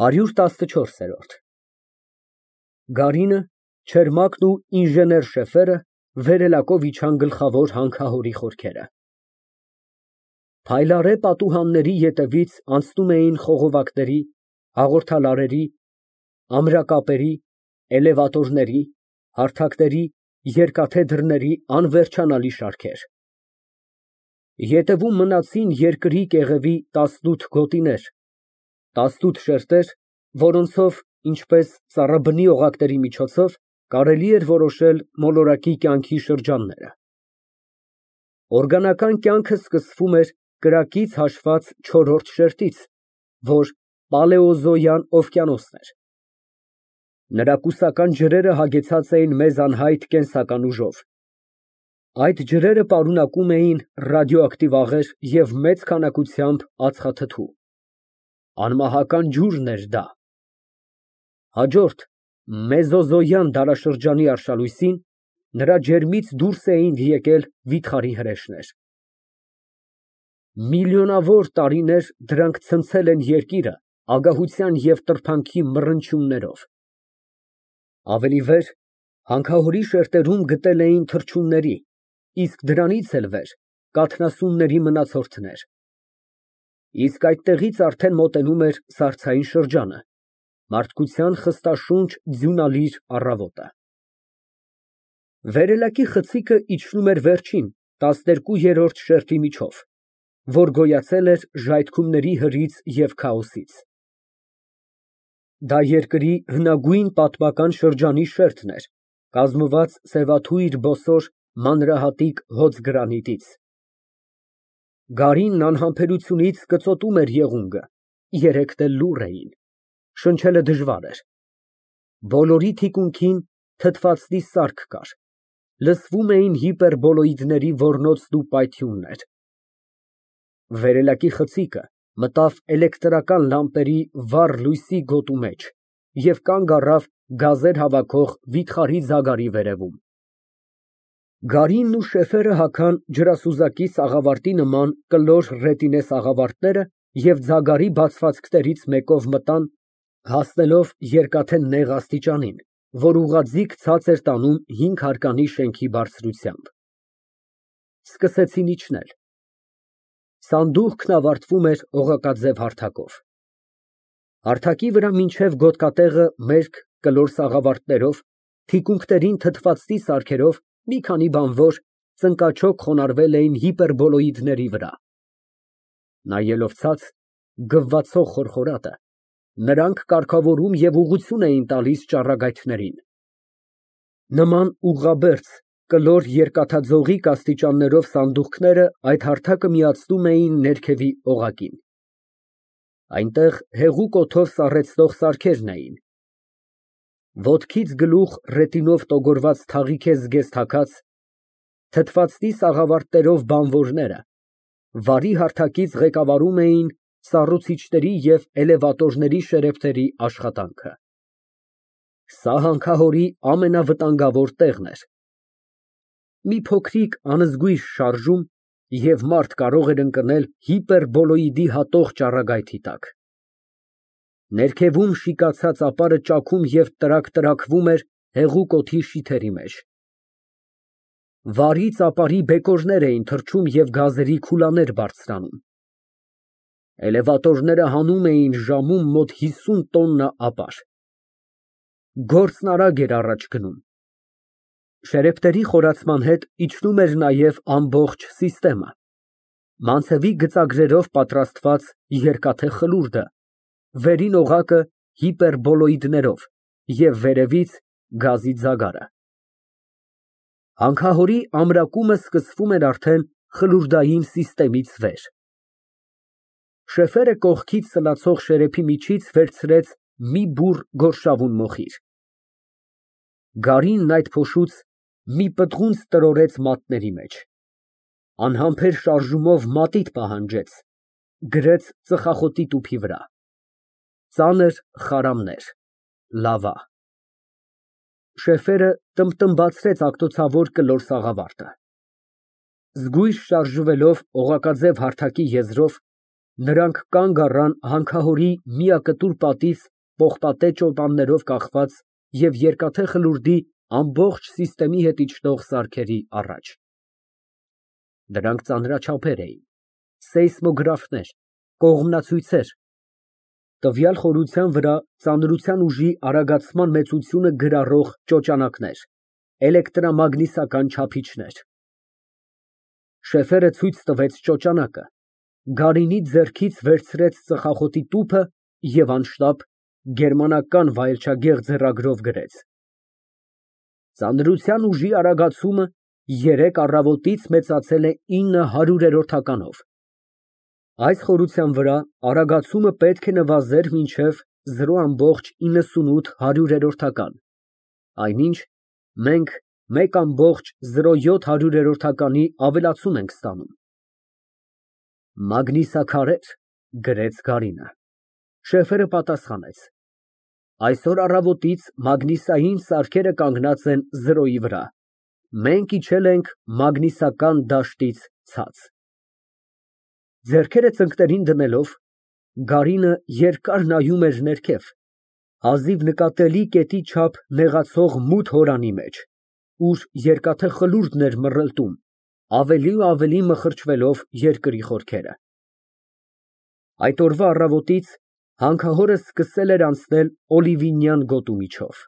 114։ Գարինը, Չերմակն ու ինժեներ Շեֆերը վերելակով իջան գլխավոր հանքահորի խորքերը։ Փայլառե պատուհանների ետևից անցնում էին խողովակների, հաղորդալարերի, ամրակապերի, էլևատորների, հարթակների, երկաթե դռների անվերջանալի շարքեր։ Ետևում մնացին երկրի կեղևի 18 գոտիներ, 18 շերտեր, որոնցով, ինչպես ծառաբնի օղակների միջոցով, կարելի էր որոշել մոլորակի կյանքի շրջանները։ Օրգանական կյանքը սկսվում էր կրակից հաշված չորրորդ շերտից, որ պալեոզոյան օվկիանոսն էր։ Նրա կուսական ջրերը հագեցած էին մեզ անհայտ կենսական ուժով։ Այդ ջրերը պարունակում էին ռադիոակտիվ աղեր և մեծ քանակությամբ ածխաթթու։ Անմահական ջուրն էր դա։ Հաջորդ մեզոզոյան դարաշրջանի արշալույսին նրա ջերմից դուրս էին եկել վիթխարի հրեշներ։ Միլիոնավոր տարիներ դրանք ցնցել են երկիրը ագահության և տրփանքի մռնչյուններով։ Ավելի վեր հանքահորի շերտերում գտել էին թռչունների, իսկ դրանից էլ վեր կաթնասունների մնացորդներ։ Իսկ այդտեղից արդեն մոտենում էր սառցային շրջանը, մարդկության խստաշունչ ձյունալիր առավոտը։ Վերելակի խցիկը իջնում էր վերջին, 12-րդ շերտի միջով, որ գոյացել էր ժայթքումների հրից և քաոսից։ Դա երկրի հնագույն պատմական շրջանի շերտն էր, կազմված սևաթույր բոսոր մանրահատիկ հոծ գրանիտից։ Գարինն անհամբերությունից կծոտում էր եղունգը, երեքն էլ լուռ էին, շնչելը դժվար էր։ Բոլորի թիկունքին թթվածնի սարք կար, լսվում էին հիպերբոլոիդների ոռնոցն ու պայթյուններ։ Վերելակի խցիկը մտավ էլեկտրական լամպերի վառ լույսի գոտու մեջ և կանգ առավ գազեր հավաքող վիթխարի ձագարի վերևում։ Գարինն ու Շեֆերը հագան ջրասուզակի սաղավարտի նման կլոր ռետինե սաղավարտները և ձագարի բացվածքներից մեկով մտան, հասնելով երկաթե նեղ աստիճանին, որ ուղղաձիգ ցած էր տանում 5 հարկանի շենքի բարձրությամբ։ Սկսեցին իջնել։ Սանդուղքն ավարտվում էր օղակաձև հարթակով։ Հարթակի վրա մինչև գոտկատեղը մերկ կլոր սաղավարտներով, թիկունքներին թթվածնի սարքերով մի քանի բանվոր ծնկաչոք խոնարհվել էին հիպերբոլոիդների վրա։ Նայելով ցած, գվվացող խորխորատը, նրանք կարգավորում և ուղղություն էին տալիս ճառագայթներին։ Նման ուղղաբերձ կլոր երկաթաձողիկ աստիճաններով սանդուղքները այդ հարթակը միացնում էին ներքևի օղակին։ Այնտեղ հեղուկ օդով սառեցնող սարքերն էին։ Ոտքից գլուխ ռետինով տոգորված թաղիթե զգեստ հագած, թթվածնի սաղավարտներով բանվորները վարի հարթակից ղեկավարում էին սառուցիչների և էլևատորների շերեֆների աշխատանքը։ Սա հանքահորի ամենավտանգավոր տեղն էր։ Մի փոքրիկ անզգույշ շարժում, և մարդ կարող էր ընկնել հիպերբոլոիդի հատող ճառագայթի տակ։ Ներքևում շիկացած ապարը ճաքում և տրաքվում էր հեղուկ օդի շիթերի մեջ։ Վարից ապարի բեկորներ էին թռչում և գազերի քուլաներ բարձրանում։ Էլևատորները հանում էին ժամում մոտ 50 տոննա ապար։ Գործն արագ էր առաջ գնում։ Շերեֆների խորացման հետ իջնում էր նաև ամբողջ սիստեմը, մանցևի գծագրերով պատրաստված երկաթե խլուրդը, վերին օղակը հիպերբոլոիդներով և վերևից գազի ձագարը։ Հանքահորի ամրակումը սկսվում էր արդեն խլուրդային սիստեմից վեր։ Շեֆերը կողքից սլացող շերեփի միջից վերցրեց մի բուռ գորշավուն մոխիր։ Գարինն այդ փոշուց մի պտղունց տրորեց մատների մեջ, անհամբեր շարժումով մատիտ պահանջեց, գրեց ծխախոտի տուփի վրա։ Ծանր խարամներ, լավա։ Շեֆերը տմբտմբացրեց աղտոցավոր կլոր սաղավարտը։ Զգույշ շարժվելով օղակաձև հարթակի եզրով, Նրանք կանգ առան հանքահորի միակտուր պատից պողպատե ճոպաններով կախված և երկաթե խլուրդի ամբողջ հետ իջնող սարքերի առաջ։ Դրանք ծանրաչափեր էին, սեյսմոգրաֆներ, կողմնացույցեր, տվյալ խորության վրա ծանրության ուժի արագացման մեծությունը գրառող ճոճանակներ, էլեկտրամագնիսական չափիչներ։ Շեֆերը ցույց տվեց ճոճանակը, Գարինի ձեռքից վերցրեց ծխախոտի տուփը և անշտապ գերմանական վայելչագեղ ձեռագրով գրեց. Ծանրության ուժի արագացումը 3 առավոտից մեծացել է 900-ականով։ Այս խորության վրա արագացումը պետք է նվազեր մինչև 0,98 այնինչ, մենք 1,07 ավելացում ենք ստանում։ Մագնիսաքարեր, գրեց Գարինը։ Շեֆերը պատասխանեց. Այսօր առավոտից մագնիսային սարքերը կանգնած են 0-ի վրա, մենք իջել ենք մագնիսական դաշտից ցած։ Ձեռքերը ծնկներին դնելով, Գարինը երկար նայում էր ներքև, հազիվ նկատելի կետի չափ նեղացող մութ հորանի մեջ, ուր երկաթե խլուրդն էր մռլտում, ավելի ու ավելի մխրճվելով երկրի խորքերը։ Այդ օրվա առավոտից հանքահորը սկսել էր անցնել Օլիվինյան գոտու միջով։